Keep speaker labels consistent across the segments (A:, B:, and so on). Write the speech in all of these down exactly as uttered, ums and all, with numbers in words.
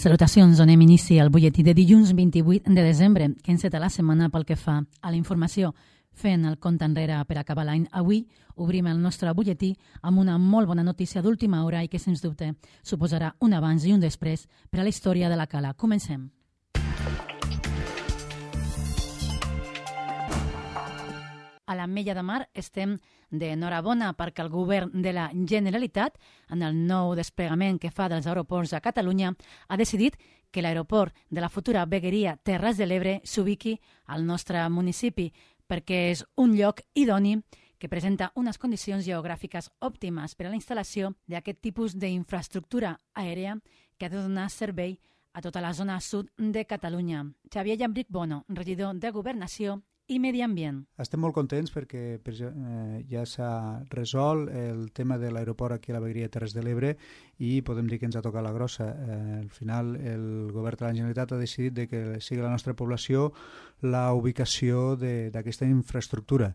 A: Salutacions, donem inici al butlletí de dilluns vint-i-vuit de desembre, que enceta la setmana pel que fa a la informació. Fent el compte enrere per acabar l'any, avui obrim el nostre butlletí amb una molt bona notícia d'última hora i que, sens dubte, suposarà un abans i un després per a la història de la Cala. Comencem. A l'Ametlla de Mar estem d'enhorabona perquè el govern de la Generalitat, en el nou desplegament que fa dels aeroports a Catalunya, ha decidit que l'aeroport de la futura vegueria Terres de l'Ebre s'ubiqui al nostre municipi perquè és un lloc idoni que presenta unes condicions geogràfiques òptimes per a la instal·lació d'aquest tipus d'infraestructura aèria que ha de donar servei a tota la zona sud de Catalunya. Xavier Llambric Bono, regidor de Governació i Medi Ambient.
B: Estem molt contents perquè eh, ja s'ha resolt el tema de l'aeroport aquí a la vegueria Terres de l'Ebre i podem dir que ens ha tocat la grossa. Eh, al final el govern de la Generalitat ha decidit de que sigui la nostra població la ubicació d'aquesta infraestructura.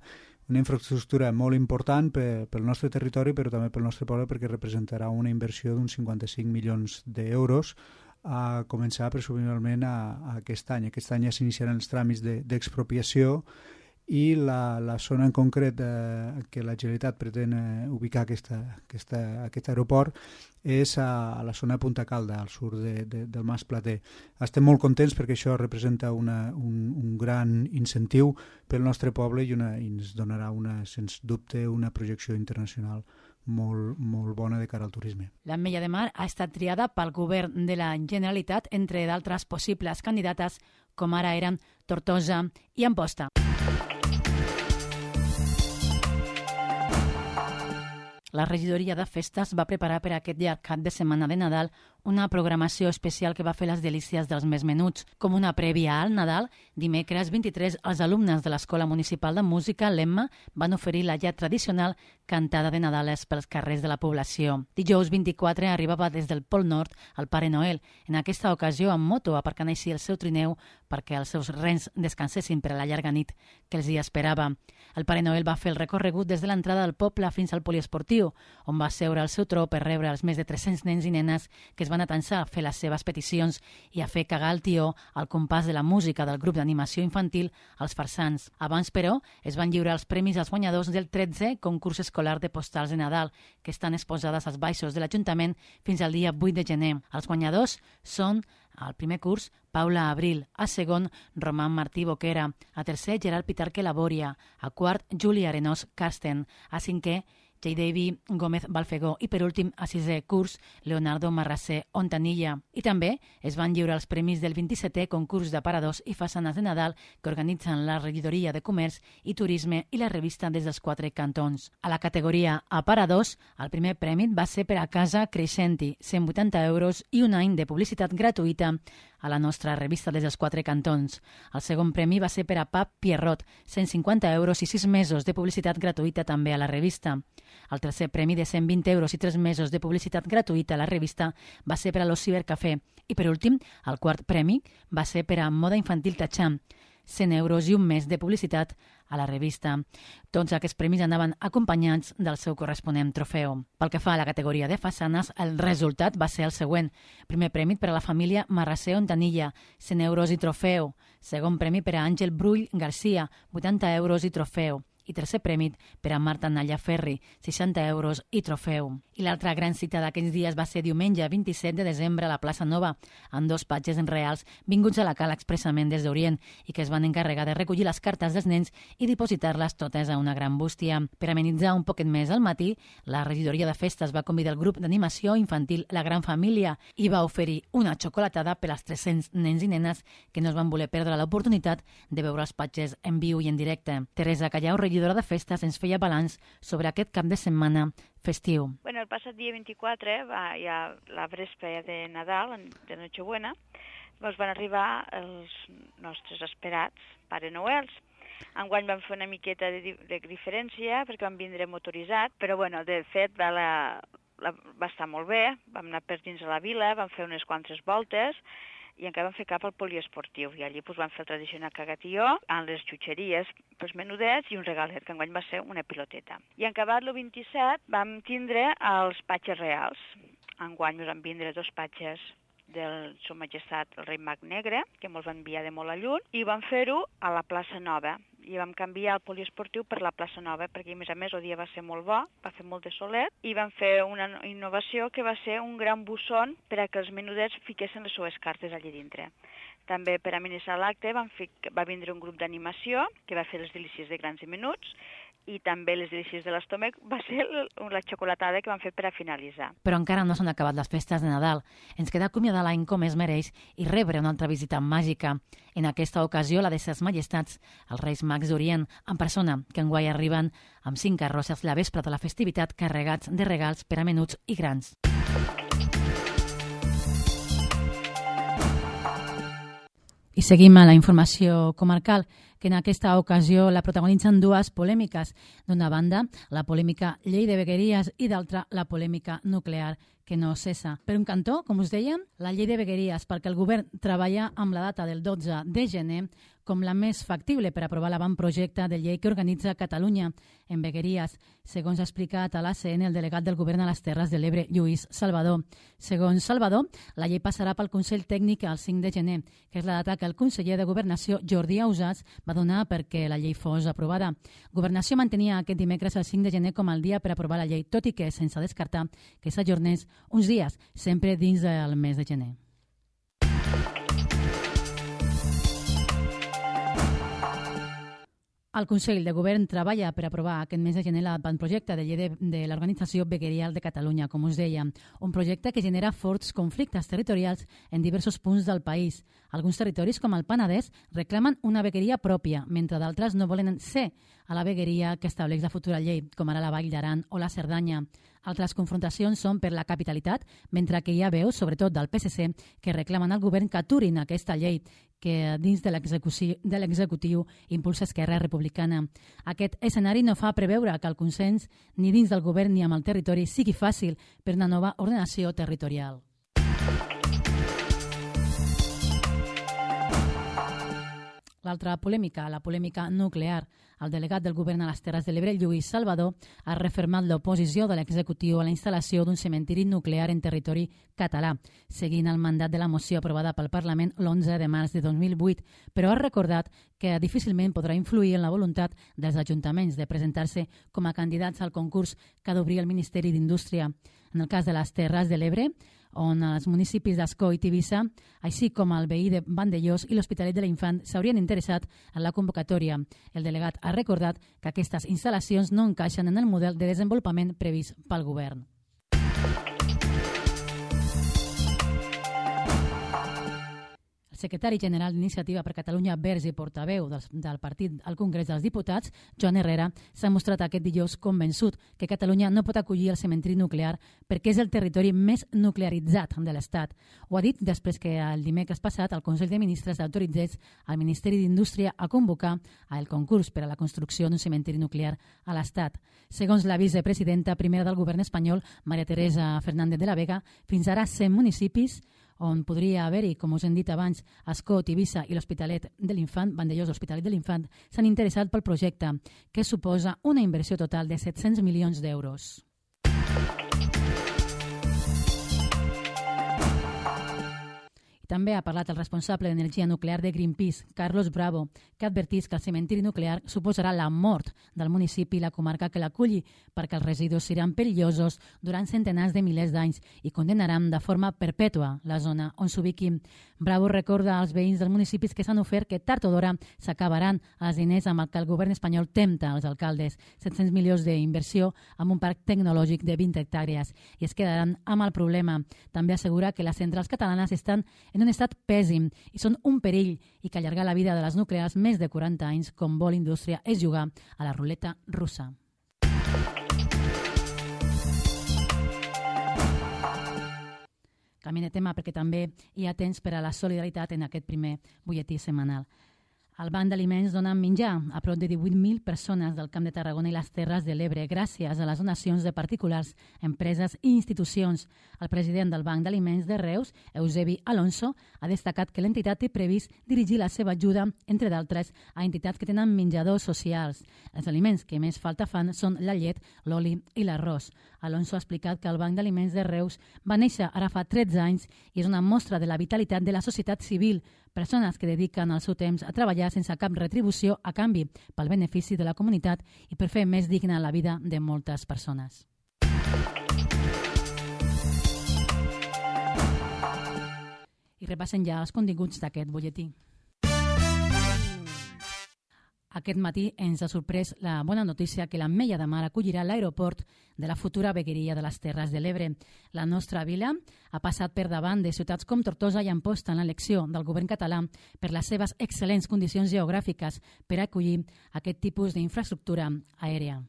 B: Una infraestructura molt important per, pel nostre territori però també pel nostre poble perquè representarà una inversió d'uns cinquanta-cinc milions d'euros a començar presumiblement a, a aquest any. Aquest any ja s'iniciaran els tràmits d'expropiació i la, la zona en concret eh, que la Generalitat pretén eh, ubicar aquesta, aquesta, aquest aeroport és a, a la zona de Punta Calda, al sud de, de, del Mas Plater. Estem molt contents perquè això representa una, un, un gran incentiu pel nostre poble i, una, i ens donarà, una, sens dubte, una projecció internacional molt, molt bona de cara al turisme.
A: L'Ametlla de Mar ha estat triada pel govern de la Generalitat entre d'altres possibles candidates com ara eren Tortosa i Amposta. La regidoria de festes va preparar per aquest llarg cap de setmana de Nadal una programació especial que va fer les delícies dels més menuts. Com una prèvia al Nadal, dimecres vint-i-tres, els alumnes de l'Escola Municipal de Música, l'Emma, van oferir la ja tradicional cantada de Nadales pels carrers de la població. Dijous vint-i-quatre arribava des del Pol Nord el Pare Noel, en aquesta ocasió amb moto, aparcant així el seu trineu perquè els seus rens descansessin per a la llarga nit que els hi esperava. El Pare Noel va fer el recorregut des de l'entrada del poble fins al poliesportiu, on va seure al seu tro per rebre els més de tres-cents nens i nenes que es van atançar a fer les seves peticions i a fer cagar el tió al compàs de la música del grup d'animació infantil Els Farsans. Abans, però, es van lliurar els premis als guanyadors del tretzè concurs escolar de postals de Nadal, que estan exposades als baixos de l'Ajuntament fins al dia vuit de gener. Els guanyadors són al primer curs, Paula Abril, a segon, Roman Martí Boquera, a tercer, Gerard Pitarque Labòria, a quart, Júlia Arenós Carsten, a cinquè, J. David Gómez Balfegó i, per últim, a sisè curs, Leonardo Marrasé Ontanilla. I també es van lliurar els premis del vint-i-setè concurs d'aparadors i façanes de Nadal que organitzen la Regidoria de Comerç i Turisme i la revista des dels quatre cantons. A la categoria aparadors, el primer premi va ser per a Casa Creixenti, cent vuitanta euros i un any de publicitat gratuïta a la nostra revista des dels quatre cantons. El segon premi va ser per a Pap Pierrot, cent cinquanta euros i sis mesos de publicitat gratuïta també a la revista. El tercer premi de cent vint euros i tres mesos de publicitat gratuïta a la revista va ser per a l'Os Cibercafè. I per últim, el quart premi va ser per a Moda Infantil Tacham, cent euros i un mes de publicitat a la revista. Tots aquests premis anaven acompanyats del seu corresponent trofeu. Pel que fa a la categoria de façanes, el resultat va ser el següent. Primer premi per a la família Marrasé Ontanilla, cent euros i trofeu. Segon premi per a Àngel Brull Garcia, vuitanta euros i trofeu. I tercer premi per a Marta Nalla Ferri, seixanta euros i trofeu. I l'altra gran cita d'aquests dies va ser diumenge vint-i-set de desembre a la plaça Nova, amb dos patges reals vinguts a la Cala expressament des d'Orient i que es van encarregar de recollir les cartes dels nens i dipositar-les totes a una gran bústia. Per amenitzar un poquet més al matí, la regidoria de festes va convidar el grup d'animació infantil La Gran Família i va oferir una xocolatada per als tres-cents nens i nenes que no es van voler perdre l'oportunitat de veure els patges en viu i en directe. Teresa Callau, regidora de festes, ens feia balanç sobre aquest cap de setmana festiu.
C: Bueno, el passat dia vint-i-quatre, va, ja la vespre de Nadal, de Nochebuena, ens van arribar els nostres esperats Pare Noels. Enguany vam fer una miqueta de, de diferència perquè vam vindre motoritzat, però bueno, de fet va, la, la, va estar molt bé, vam anar per dins de la vila, vam fer unes quantes voltes i encara vam fer cap al poliesportiu. I allí doncs, vam fer el tradicional cagatió, amb les xutxeries pels menudets i un regalet, que enguany va ser una piloteta. I en acabat el vint-i-set vam tindre els patges reals. Enguany ens van vindre dos patges del Seu Majestat el rei Mag Negre, que ens va enviar de molt a lluny, i vam fer-ho a la plaça Nova. I vam canviar el poliesportiu per la plaça Nova, perquè a més a més el dia va ser molt bo, va fer molt de solet, i vam fer una innovació que va ser un gran busson per a que els menudets fiquessin les seues cartes allà dintre. També per amenaçar l'acte va vindre un grup d'animació que va fer les delícies de grans i menuts, i també les delícies de l'estómac va ser la xocolatada que van fer per a finalitzar.
A: Però encara no s'han acabat les festes de Nadal. Ens queda acomiadar l'any com es mereix i rebre una altra visita màgica. En aquesta ocasió, la de ses majestats, els Reis Mags d'Orient, en persona, que enguany arriben amb cinc carrosses la vespre de la festivitat carregats de regals per a menuts i grans. I seguim a la informació comarcal, que en aquesta ocasió la protagonitzen dues polèmiques. D'una banda, la polèmica llei de vegueries i d'altra, la polèmica nuclear, que no cessa. Per un cantó, com us dèiem, la llei de vegueries, perquè el govern treballa amb la data del dotze de gener com la més factible per aprovar l'avantprojecte de llei que organitza Catalunya en vegueries, segons ha explicat a l'A C N el delegat del govern a les Terres de l'Ebre, Lluís Salvador. Segons Salvador, la llei passarà pel Consell Tècnic el cinc de gener, que és la data que el conseller de Governació, Jordi Ausàs, va donar perquè la llei fos aprovada. Governació mantenia aquest dimecres el cinc de gener com el dia per aprovar la llei, tot i que sense descartar que s'ajornés uns dies, sempre dins del mes de gener. El Consell de Govern treballa per aprovar aquest mes de gener l'avantprojecte de llei de, de l'Organització Veguerial de Catalunya, com us deia, un projecte que genera forts conflictes territorials en diversos punts del país. Alguns territoris, com el Penedès, reclamen una vegueria pròpia, mentre d'altres no volen ser a la vegueria que estableix la futura llei, com ara la Vall d'Aran o la Cerdanya. Altres confrontacions són per la capitalitat, mentre que hi ha veus, sobretot del P S C, que reclamen al govern que aturin aquesta llei, que dins de l'executiu impulsa Esquerra Republicana. Aquest escenari no fa preveure que el consens ni dins del govern ni amb el territori sigui fàcil per una nova ordenació territorial. L'altra polèmica, la polèmica nuclear. El delegat del govern a les Terres de l'Ebre, Lluís Salvador, ha refermat l'oposició de l'executiu a la instal·lació d'un cementiri nuclear en territori català, seguint el mandat de la moció aprovada pel Parlament l'onze de març de dos mil vuit, però ha recordat que difícilment podrà influir en la voluntat dels ajuntaments de presentar-se com a candidats al concurs que ha d'obrir el Ministeri d'Indústria. En el cas de les Terres de l'Ebre, on els municipis d'Ascó i Tivissa, així com el veí de Vandellós i l'Hospitalet de l'Infant, s'haurien interessat en la convocatòria. El delegat ha recordat que aquestes instal·lacions no encaixen en el model de desenvolupament previst pel govern. El secretari general d'Iniciativa per Catalunya Verds i portaveu del, del partit al Congrés dels Diputats, Joan Herrera, s'ha mostrat aquest dijous convençut que Catalunya no pot acollir el cementiri nuclear perquè és el territori més nuclearitzat de l'Estat. Ho ha dit després que el dimecres passat el Consell de Ministres autoritzés al Ministeri d'Indústria a convocar el concurs per a la construcció d'un cementiri nuclear a l'Estat. Segons la vicepresidenta primera del govern espanyol, Maria Teresa Fernández de la Vega, fins ara cent municipis on podria haver-hi, com us hem dit abans, Ascó, Tivissa i l'Hospitalet de l'Infant, Vandellós, l'Hospitalet de l'Infant, s'han interessat pel projecte, que suposa una inversió total de set-cents milions d'euros. També ha parlat el responsable d'energia nuclear de Greenpeace, Carlos Bravo, que ha advertit que el cementiri nuclear suposarà la mort del municipi i la comarca que l'aculli, perquè els residus seran perillosos durant centenars de milers d'anys i condenaran de forma perpètua la zona on s'ubiqui. Bravo recorda als veïns dels municipis que s'han ofert que tard o d'hora s'acabaran els diners amb el que el govern espanyol tempta als alcaldes, set-cents milions d'inversió amb un parc tecnològic de vint hectàrees, i es quedaran amb el problema. També assegura que les centrals catalanes estan en un estat pèssim i són un perill i que allargar la vida de les nuclears més de quaranta anys, com vol indústria, és jugar a la ruleta russa. Canviem de tema perquè també hi ha temps per a la solidaritat en aquest primer butlletí setmanal. El Banc d'Aliments dona menjar a prop de divuit mil persones del Camp de Tarragona i les Terres de l'Ebre gràcies a les donacions de particulars, empreses i institucions. El president del Banc d'Aliments de Reus, Eusebi Alonso, ha destacat que l'entitat té previst dirigir la seva ajuda, entre d'altres, a entitats que tenen menjadors socials. Els aliments que més falta fan són la llet, l'oli i l'arròs. Alonso ha explicat que el Banc d'Aliments de Reus va néixer ara fa tretze anys i és una mostra de la vitalitat de la societat civil, persones que dediquen el seu temps a treballar sense cap retribució a canvi pel benefici de la comunitat i per fer més digna la vida de moltes persones. I repassen ja els continguts d'aquest butlletí. Aquest matí ens ha sorprès la bona notícia que l'Ametlla de Mar acollirà l'aeroport de la futura vegueria de les Terres de l'Ebre. La nostra vila ha passat per davant de ciutats com Tortosa i Amposta en l'elecció del govern català per les seves excel·lents condicions geogràfiques per acollir aquest tipus d'infraestructura aèria.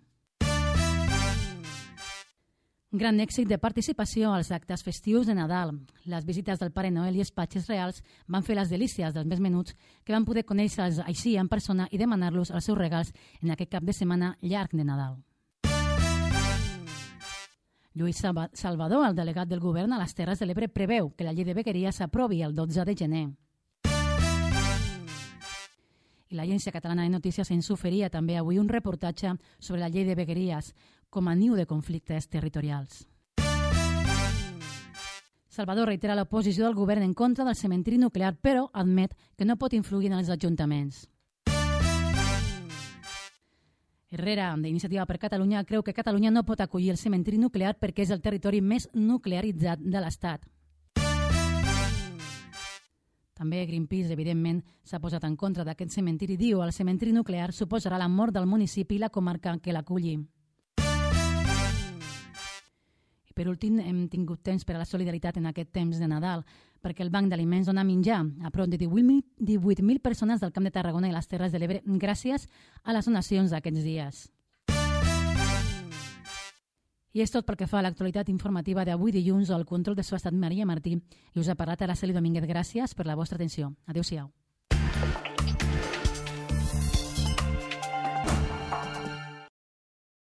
A: Gran èxit de participació als actes festius de Nadal. Les visites del Pare Noel i els patges reals van fer les delícies dels més menuts que van poder conèixer-los així en persona i demanar-los els seus regals en aquest cap de setmana llarg de Nadal. Lluís Salvador, el delegat del govern a les Terres de l'Ebre, preveu que la llei de vegueria s'aprovi el dotze de gener. I l'Agència Catalana de Notícies ens oferia també avui un reportatge sobre la llei de vegueries com a niu de conflictes territorials. Salvador reitera l'oposició del govern en contra del cementiri nuclear, però admet que no pot influir en els ajuntaments. Herrera, d'Iniciativa per Catalunya, creu que Catalunya no pot acollir el cementiri nuclear perquè és el territori més nuclearitzat de l'Estat. També Greenpeace, evidentment, s'ha posat en contra d'aquest cementiri. Diu, el cementiri nuclear suposarà la mort del municipi i la comarca que l'aculli. I per últim, hem tingut temps per a la solidaritat en aquest temps de Nadal, perquè el Banc d'Aliments dona menjar a prop de divuit mil persones del Camp de Tarragona i les Terres de l'Ebre gràcies a les donacions d'aquests dies. I és tot pel que fa a l'actualitat informativa d'avui dilluns. Al control de so ha estat Maria Martí i us ha parlat Araceli Domínguez. Gràcies per la vostra atenció. Adéu-siau.